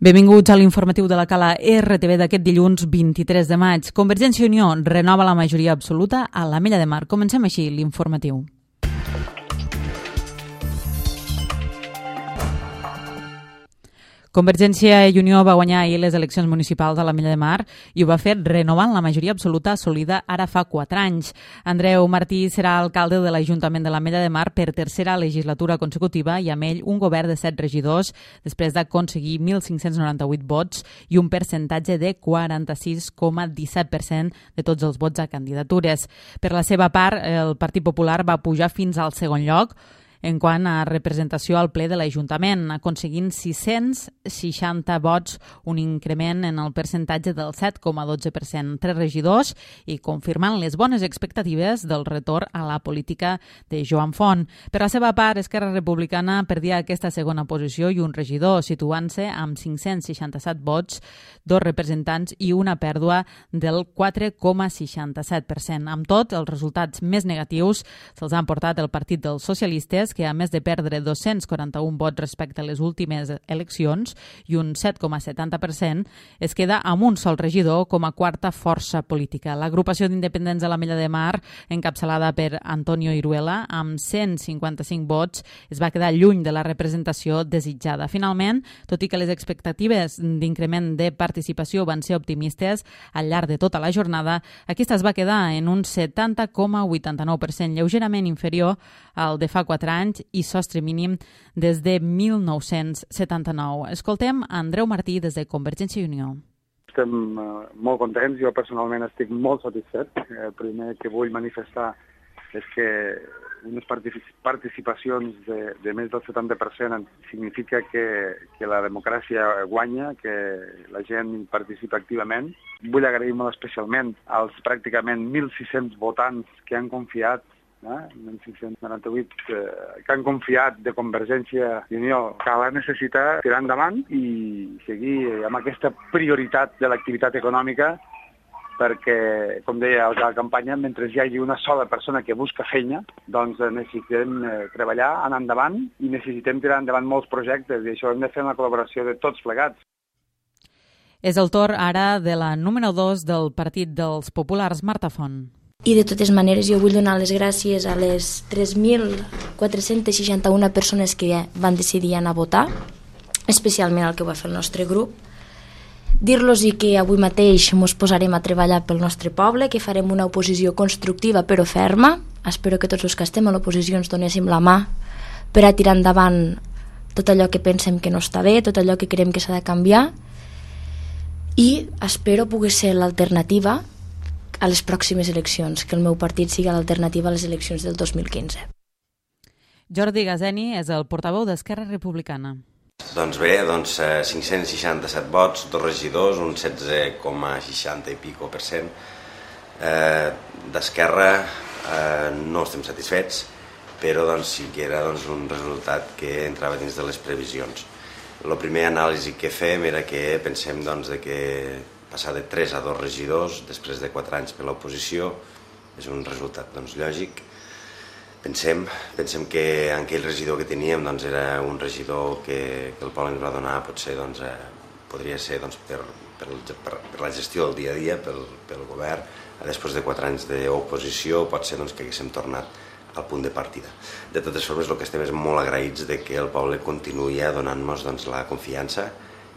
Benvinguts a l'informatiu de la Cala RTV d'aquest dilluns 23 de maig. Convergència i Unió renova la majoria absoluta a l'Ametlla de Mar. Comencem així l'informatiu. Convergència i Unió va guanyar ahir les eleccions municipals a l'Ametlla de Mar i ho va fer renovant la majoria absoluta assolida ara fa 4 anys. Andreu Martí serà alcalde de l'Ajuntament de l'Ametlla de Mar per tercera legislatura consecutiva i amb ell un govern de 7 regidors després d'aconseguir 1.598 vots i un percentatge de 46,17% de tots els vots a candidatures. Per la seva part, el Partit Popular va pujar fins al segon lloc en quant a representació al ple de l'Ajuntament, aconseguint 660 vots, un increment en el percentatge del 7,12%. 3 regidors i confirmant les bones expectatives del retorn a la política de Joan Font. Per la seva part, Esquerra Republicana perdia aquesta segona posició i un regidor, situant-se amb 567 vots, 2 representants i una pèrdua del 4,67%. Amb tot, els resultats més negatius se'ls han portat el Partit dels Socialistes, que a més de perdre 241 vots respecte a les últimes eleccions i un 7,70%, es queda amb un sol regidor com a quarta força política. L'agrupació d'independents de l'Ametlla de Mar, encapçalada per Antonio Iruela, amb 155 vots, es va quedar lluny de la representació desitjada. Finalment, tot i que les expectatives d'increment de participació van ser optimistes al llarg de tota la jornada, aquesta es va quedar en un 70,89%, lleugerament inferior al de fa 4 anys i sostre mínim des de 1979. Escoltem Andreu Martí des de Convergència i Unió. Estem molt contents, jo personalment estic molt satisfet. El primer que vull manifestar és que unes participacions de més del 70% significa que la democràcia guanya, que la gent participa activament. Vull agrair molt especialment als pràcticament 1.600 votants que han confiat 1.698 que han confiat de Convergència i Unió, que la necessita tirar endavant i seguir amb aquesta prioritat de l'activitat econòmica perquè, com deia a la campanya, mentre hi hagi una sola persona que busca feina, doncs necessitem treballar, anar endavant i necessitem tirar endavant molts projectes i això hem de fer una col·laboració de tots plegats. És el torn ara de la número 2 del Partit dels Populars, Marta Font. I de totes maneres jo vull donar les gràcies a les 3.461 persones que van decidir anar a votar, especialment el que va fer el nostre grup. Dir-los que avui mateix ens posarem a treballar pel nostre poble, que farem una oposició constructiva però ferma. Espero que tots els que estem a l'oposició ens donéssim la mà per a tirar endavant tot allò que pensem que no està bé, tot allò que creiem que s'ha de canviar, i espero poder ser l'alternativa a les pròximes eleccions, que el meu partit sigui l'alternativa a les eleccions del 2015. Jordi Gazeni és el portaveu d'Esquerra Republicana. Doncs bé, 567 vots, 2 regidors, un 16,60 i pico per cent. D'Esquerra no estem satisfets, però sí que era un resultat que entrava dins de les previsions. La primera anàlisi que fem era que pensem que passar de 3 a 2 regidors després de 4 anys per l'oposició és un resultat lògic. Pensem que aquell regidor que teníem era un regidor que el poble ens va donar, potser podria ser per la gestió del dia a dia, pel govern. Després de 4 anys d'oposició pot ser que haguéssim tornat al punt de partida. De totes formes, el que estem és molt agraïts que el poble continuï donant-nos la confiança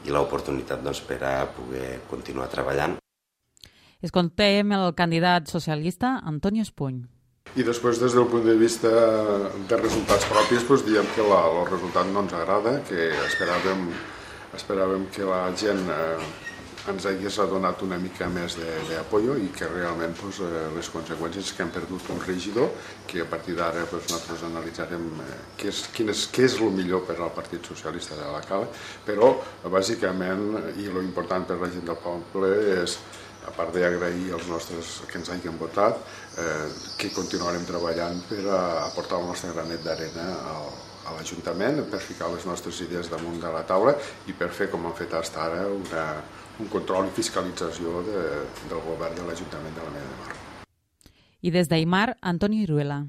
i l'oportunitat per a poder continuar treballant. Escoltem el candidat socialista Antonio Espuny. I després, des del punt de vista de resultats propis, diem que el resultat no ens agrada, que esperàvem que la gent ens hagués donat una mica més d'apoyo i que realment les conseqüències que hem perdut un regidor, que a partir d'ara nosaltres analitzarem què és el millor per al Partit Socialista de la Cala, però bàsicament, i l'important per la gent del poble és, a part d'agrair als nostres que ens hagin votat, que continuarem treballant per aportar el nostre granet d'arena a l'Ajuntament, per ficar les nostres idees damunt de la taula i per fer, com hem fet fins ara, un control i fiscalització del govern de l'Ajuntament de l'Ametlla de Mar. I des d'Aimar, Antonio Iruela.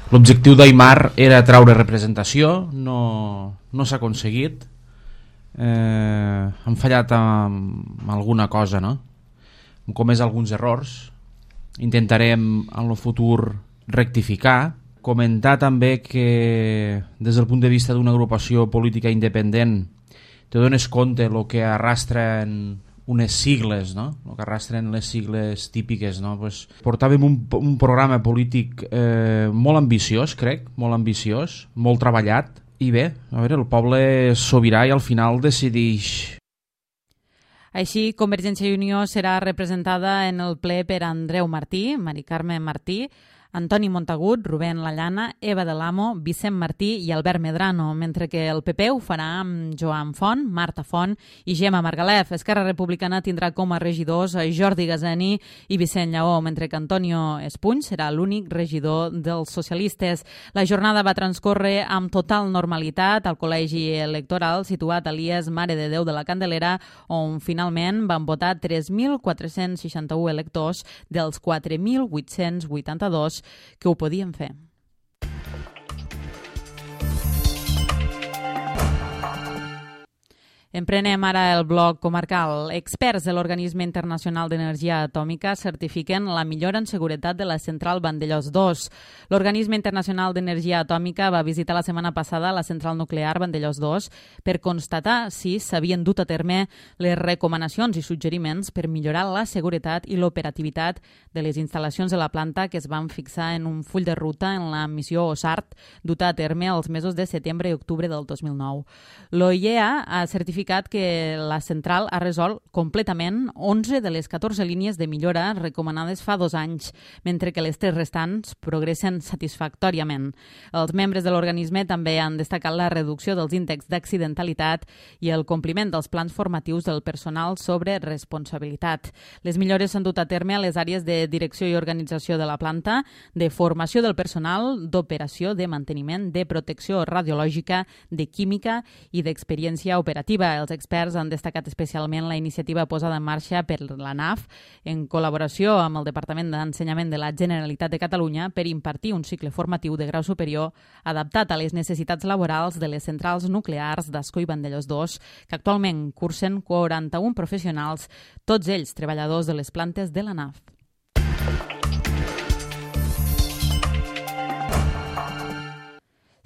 L'objectiu d'Aimar era traure representació, no s'ha aconseguit. han fallat amb alguna cosa, no? Hem comès alguns errors, intentarem en el futur rectificar. Comentar també que des del punt de vista d'una agrupació política independent te dones compte el que arrastren unes sigles, no? El que arrastren les sigles típiques, no? Pues portàvem un programa polític molt ambiciós, crec, molt ambiciós, molt treballat, i bé, a veure, el poble és sobirà i al final decideix. Així, Convergència i Unió serà representada en el ple per Andreu Martí, Mari Carme Martí, Antoni Montagut, Rubén Lallana, Eva de l'Amo, Vicent Martí i Albert Medrano, mentre que el PP ho farà amb Joan Font, Marta Font i Gemma Margalef. Esquerra Republicana tindrà com a regidors Jordi Gazeni i Vicent Lleó, mentre que Antonio Espuny serà l'únic regidor dels socialistes. La jornada va transcórrer amb total normalitat al col·legi electoral situat a l'IES Mare de Déu de la Candelera, on finalment van votar 3.461 electors dels 4.882 que ho podien fer. Emprenem ara el bloc comarcal. Experts de l'Organisme Internacional d'Energia Atòmica certifiquen la millora en seguretat de la central Vandellòs 2. L'Organisme Internacional d'Energia Atòmica va visitar la setmana passada la central nuclear Vandellòs 2 per constatar si s'havien dut a terme les recomanacions i suggeriments per millorar la seguretat i l'operativitat de les instal·lacions de la planta que es van fixar en un full de ruta en la missió OSART duta a terme els mesos de setembre i octubre del 2009. L'OIEA ha certificat que la central ha resolt completament 11 de les 14 línies de millora recomanades fa 2 anys, mentre que les 3 restants progressen satisfactòriament. Els membres de l'organisme també han destacat la reducció dels índexs d'accidentalitat i el compliment dels plans formatius del personal sobre responsabilitat. Les millores s'han dut a terme a les àrees de direcció i organització de la planta, de formació del personal, d'operació, de manteniment, de protecció radiològica, de química i d'experiència operativa. Els experts han destacat especialment la iniciativa posada en marxa per l'ANAF en col·laboració amb el Departament d'Ensenyament de la Generalitat de Catalunya per impartir un cicle formatiu de grau superior adaptat a les necessitats laborals de les centrals nuclears d'Ascó i Vandellòs 2, que actualment cursen 41 professionals, tots ells treballadors de les plantes de l'ANAF.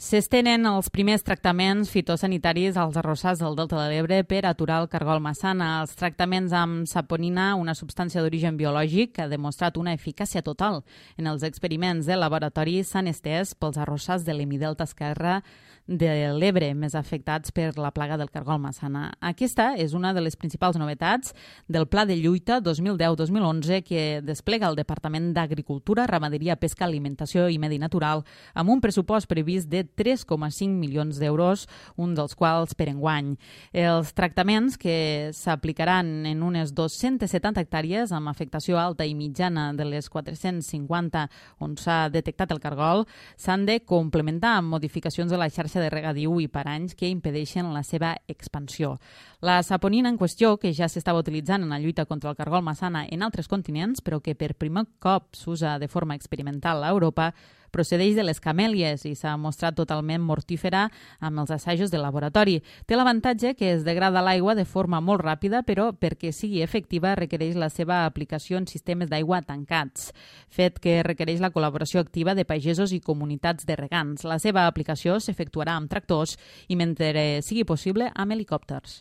S'estenen els primers tractaments fitosanitaris als arrossars del Delta de l'Ebre per aturar el cargol massana. Els tractaments amb saponina, una substància d'origen biològic que ha demostrat una eficàcia total en els experiments de laboratori, s'han estès pels arrossars de l'hemidelta esquerre de l'Ebre, més afectats per la plaga del cargol massana. Aquesta és una de les principals novetats del Pla de Lluita 2010-2011 que desplega el Departament d'Agricultura, Ramaderia, Pesca, Alimentació i Medi Natural amb un pressupost previst de 3,5 milions d'euros, un dels quals per enguany. Els tractaments, que s'aplicaran en unes 270 hectàrees amb afectació alta i mitjana de les 450 on s'ha detectat el cargol, s'han de complementar amb modificacions de la xarxa de regadiu i paranys que impedeixen la seva expansió. La saponina en qüestió, que ja s'estava utilitzant en la lluita contra el cargol massana en altres continents, però que per primer cop s'usa de forma experimental a Europa, procedeix de les camèlies i s'ha mostrat totalment mortífera amb els assajos de laboratori. Té l'avantatge que es degrada l'aigua de forma molt ràpida, però perquè sigui efectiva requereix la seva aplicació en sistemes d'aigua tancats, fet que requereix la col·laboració activa de pagesos i comunitats de regants. La seva aplicació s'efectuarà amb tractors i, mentre sigui possible, amb helicòpters.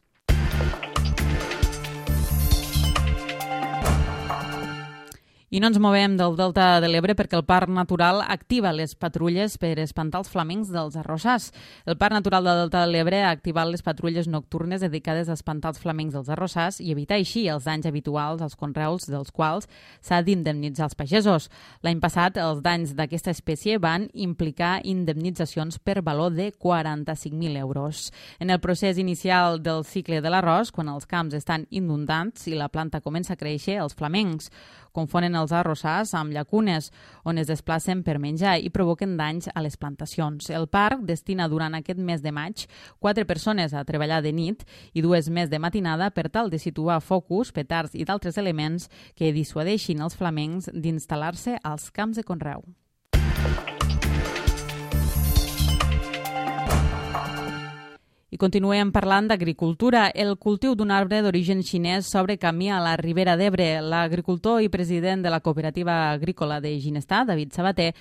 I no ens movem del Delta de l'Ebre perquè el Parc Natural activa les patrulles per espantar els flamencs dels arrossars. El Parc Natural del Delta de l'Ebre ha activat les patrulles nocturnes dedicades a espantar els flamencs dels arrossars i evitar així els danys habituals als conreus dels quals s'ha d'indemnitzar els pagesos. L'any passat, els danys d'aquesta espècie van implicar indemnitzacions per valor de 45.000 euros. En el procés inicial del cicle de l'arròs, quan els camps estan inundats i la planta comença a créixer, els flamencs confonen els arrossars amb llacunes on es desplacen per menjar i provoquen danys a les plantacions. El parc destina durant aquest mes de maig 4 persones a treballar de nit i 2 més de matinada per tal de situar focus, petards i d'altres elements que dissuadeixin els flamencs d'instal·lar-se als camps de conreu. I continuem parlant d'agricultura. El cultiu d'un arbre d'origen xinès s'obre camí a la Ribera d'Ebre. L'agricultor i president de la cooperativa agrícola de Ginestar, David Sabater,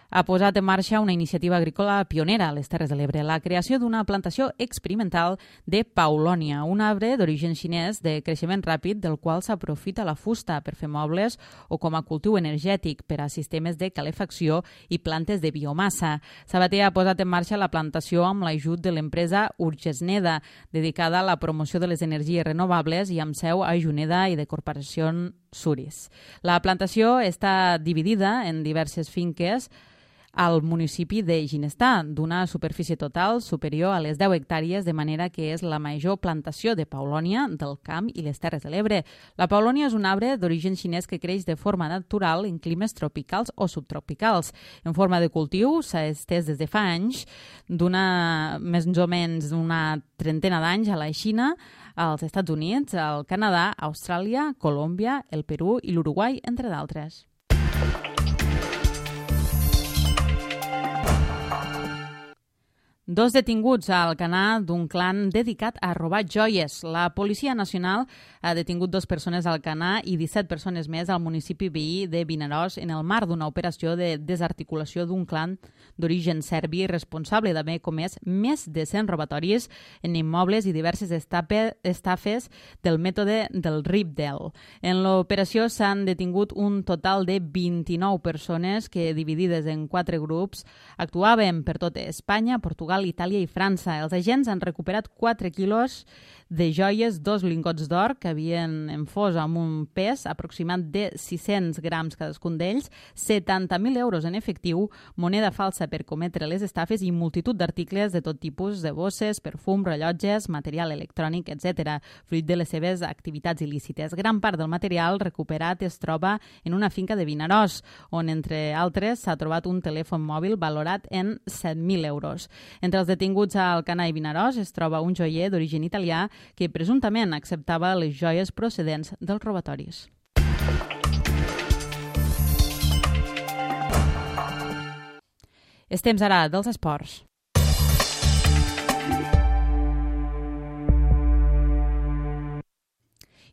ha posat en marxa una iniciativa agrícola pionera a les Terres de l'Ebre, la creació d'una plantació experimental de paulònia, un arbre d'origen xinès de creixement ràpid del qual s'aprofita la fusta per fer mobles o com a cultiu energètic per a sistemes de calefacció i plantes de biomassa. Sabater ha posat en marxa la plantació amb l'ajut de l'empresa Urgesneda, dedicada a la promoció de les energies renovables i amb seu a Juneda i de Corporació Suris. La plantació està dividida en diverses finques al municipi de Ginestar, d'una superfície total superior a les 10 hectàrees, de manera que és la major plantació de paulònia del Camp i les Terres de l'Ebre. La paulònia és un arbre d'origen xinès que creix de forma natural en climes tropicals o subtropicals. En forma de cultiu s'ha estès des de fa anys, més o menys una trentena d'anys a la Xina, als Estats Units, al Canadà, Austràlia, Colòmbia, el Perú i l'Uruguai, entre d'altres. Dos detinguts a Alcanar d'un clan dedicat a robar joies. La Policia Nacional ha detingut 2 persones a Alcanar i 17 persones més al municipi veí de Vinaròs en el marc d'una operació de desarticulació d'un clan d'origen serbi responsable d'haver comès més de 100 robatoris en immobles i diverses estafes del mètode del Ripdel. En l'operació s'han detingut un total de 29 persones que, dividides en 4 grups, actuaven per tot Espanya, Portugal, Itàlia i França. Els agents han recuperat 4 quilos de joies, 2 lingots d'or que havien en fos amb un pes aproximat de 600 grams cadascun d'ells, 70.000 euros en efectiu, moneda falsa per cometre les estafes i multitud d'articles de tot tipus, de bosses, perfum, rellotges, material electrònic, etc., fruit de les seves activitats il·lícites. Gran part del material recuperat es troba en una finca de Vinaròs, on, entre altres, s'ha trobat un telèfon mòbil valorat en 7.000 euros. Entre els detinguts a Alcanar i Vinaròs es troba un joier d'origen italià que presumptament acceptava les joies procedents dels robatoris. És temps ara dels esports.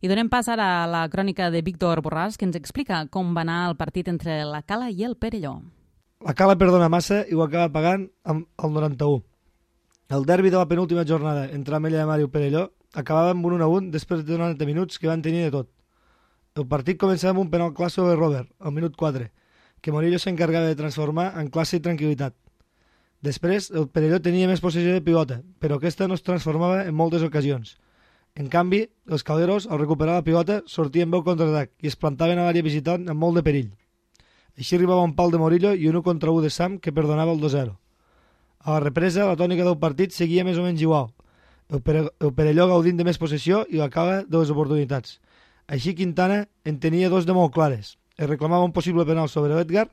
I donem pas ara a la crònica de Víctor Borràs, que ens explica com va anar el partit entre la Cala i el Perelló. La Cala perdona massa i ho acaba pagant amb el 91. El derbi de la penúltima jornada entre Ametlla de Mar i el Perelló acabava amb un 1-1 després de 90 minuts que van tenir de tot. El partit començava amb un penal clar sobre Robert, al minut 4, que Morillo s'encargava de transformar en classe i tranquil·litat. Després, el Perelló tenia més possessió de pilota, però aquesta no es transformava en moltes ocasions. En canvi, els calderos, al recuperar la pilota, sortien bé al contraatac i es plantaven a l'àrea visitant amb molt de perill. Així arribava un pal de Morillo i un 1 contra 1 de Sam que perdonava el 2-0. A la represa, la tònica del partit seguia més o menys igual. El Perelló gaudint de més possessió i la Cala de les oportunitats. Així Quintana en tenia 2 de molt clares. Es reclamava un possible penal sobre l'Edgar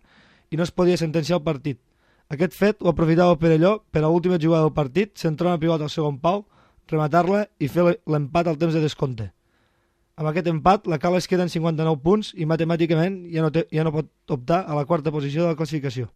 i no es podia sentenciar el partit. Aquest fet ho aprofitava el Perelló per a l'última jugada del partit, centrar una pilota al segon pal, rematar-la i fer l'empat al temps de descompte. Amb aquest empat, la Cala es queda en 59 punts i matemàticament ja no pot optar a la 4a posició de la classificació.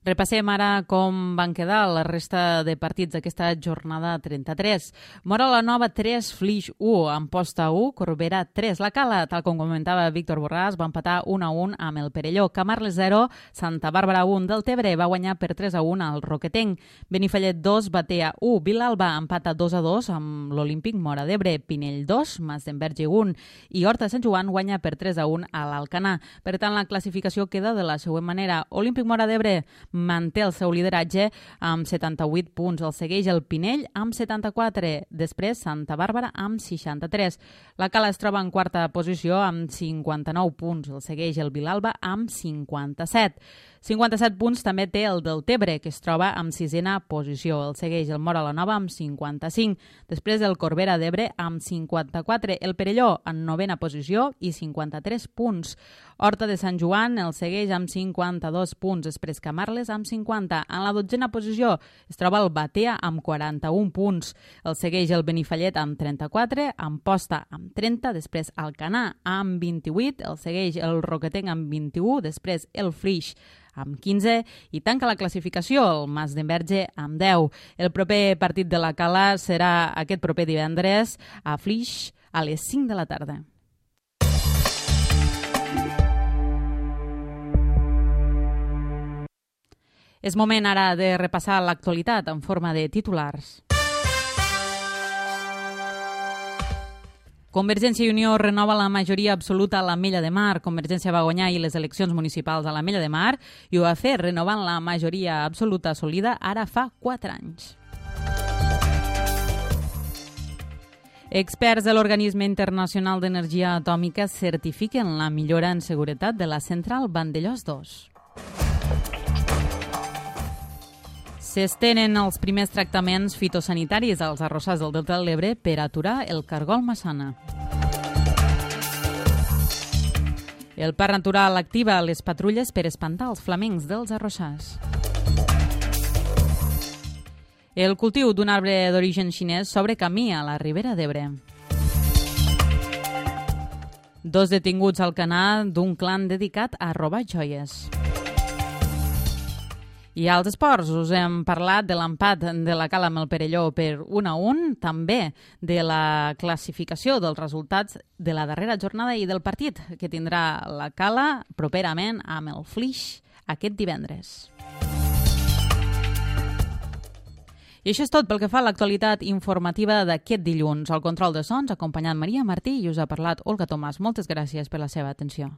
Repassem ara com van quedar la resta de partits d'aquesta jornada 33. Móra la Nova 3, Flix 1, Amposta 1, Corbera 3. La Cala, tal com comentava Víctor Borràs, va empatar 1-1 amb el Perelló. Camarles 0, Santa Bàrbara 1. Deltebre va guanyar per 3-1 al Roquetenc. Benifallet 2, Batea 1. Vilalba empata 2-2 amb l'Olímpic Móra d'Ebre. Pinell 2, Masdenverge 1. I Horta Sant Joan guanya per 3-1 a l'Alcanar. Per tant, la classificació queda de la següent manera. Olímpic Móra d'Ebre manté el seu lideratge amb 78 punts. El segueix el Pinell amb 74. Després Santa Bàrbara amb 63. La Cala es troba en 4a posició amb 59 punts. El segueix el Vilalba amb 57. 57 punts també té el Deltebre, que es troba amb 6a posició. El segueix el Móra la Nova amb 55. Després el Corbera d'Ebre amb 54. El Perelló en 9a posició i 53 punts. Horta de Sant Joan el segueix amb 52 punts. Després Camarles amb 50. En la 12a posició es troba el Batea amb 41 punts. El segueix el Benifallet amb 34, Amposta amb 30, després Alcanar amb 28, el segueix el Roquetenc amb 21, després el Flix amb 15 i tanca la classificació el Mas d'Enverge amb 10. El proper partit de la Cala serà aquest proper divendres a Flix a les 5 de la tarda. És moment ara de repassar l'actualitat en forma de titulars. Convergència i Unió renova la majoria absoluta a l'Ametlla de Mar. Convergència va guanyar ahir les eleccions municipals a l'Ametlla de Mar i ho va fer renovant la majoria absoluta assolida ara fa 4 anys. Experts de l'Organisme Internacional d'Energia Atòmica certifiquen la millora en seguretat de la central Vandellòs 2. S'estenen els primers tractaments fitosanitaris als arrossars del Delta de l'Ebre per aturar el cargol massana. El Parc Natural activa les patrulles per espantar els flamencs dels arrossars. El cultiu d'un arbre d'origen xinès s'obre camí a la Ribera d'Ebre. 2 detinguts al Canà d'un clan dedicat a robar joies. I als esports us hem parlat de l'empat de la Cala amb el Perelló per 1-1, també de la classificació dels resultats de la darrera jornada i del partit que tindrà la Cala properament amb el Flix aquest divendres. I això és tot pel que fa a l'actualitat informativa d'aquest dilluns. Al control de sons, acompanyant Maria Martí, i us ha parlat Olga Tomàs. Moltes gràcies per la seva atenció.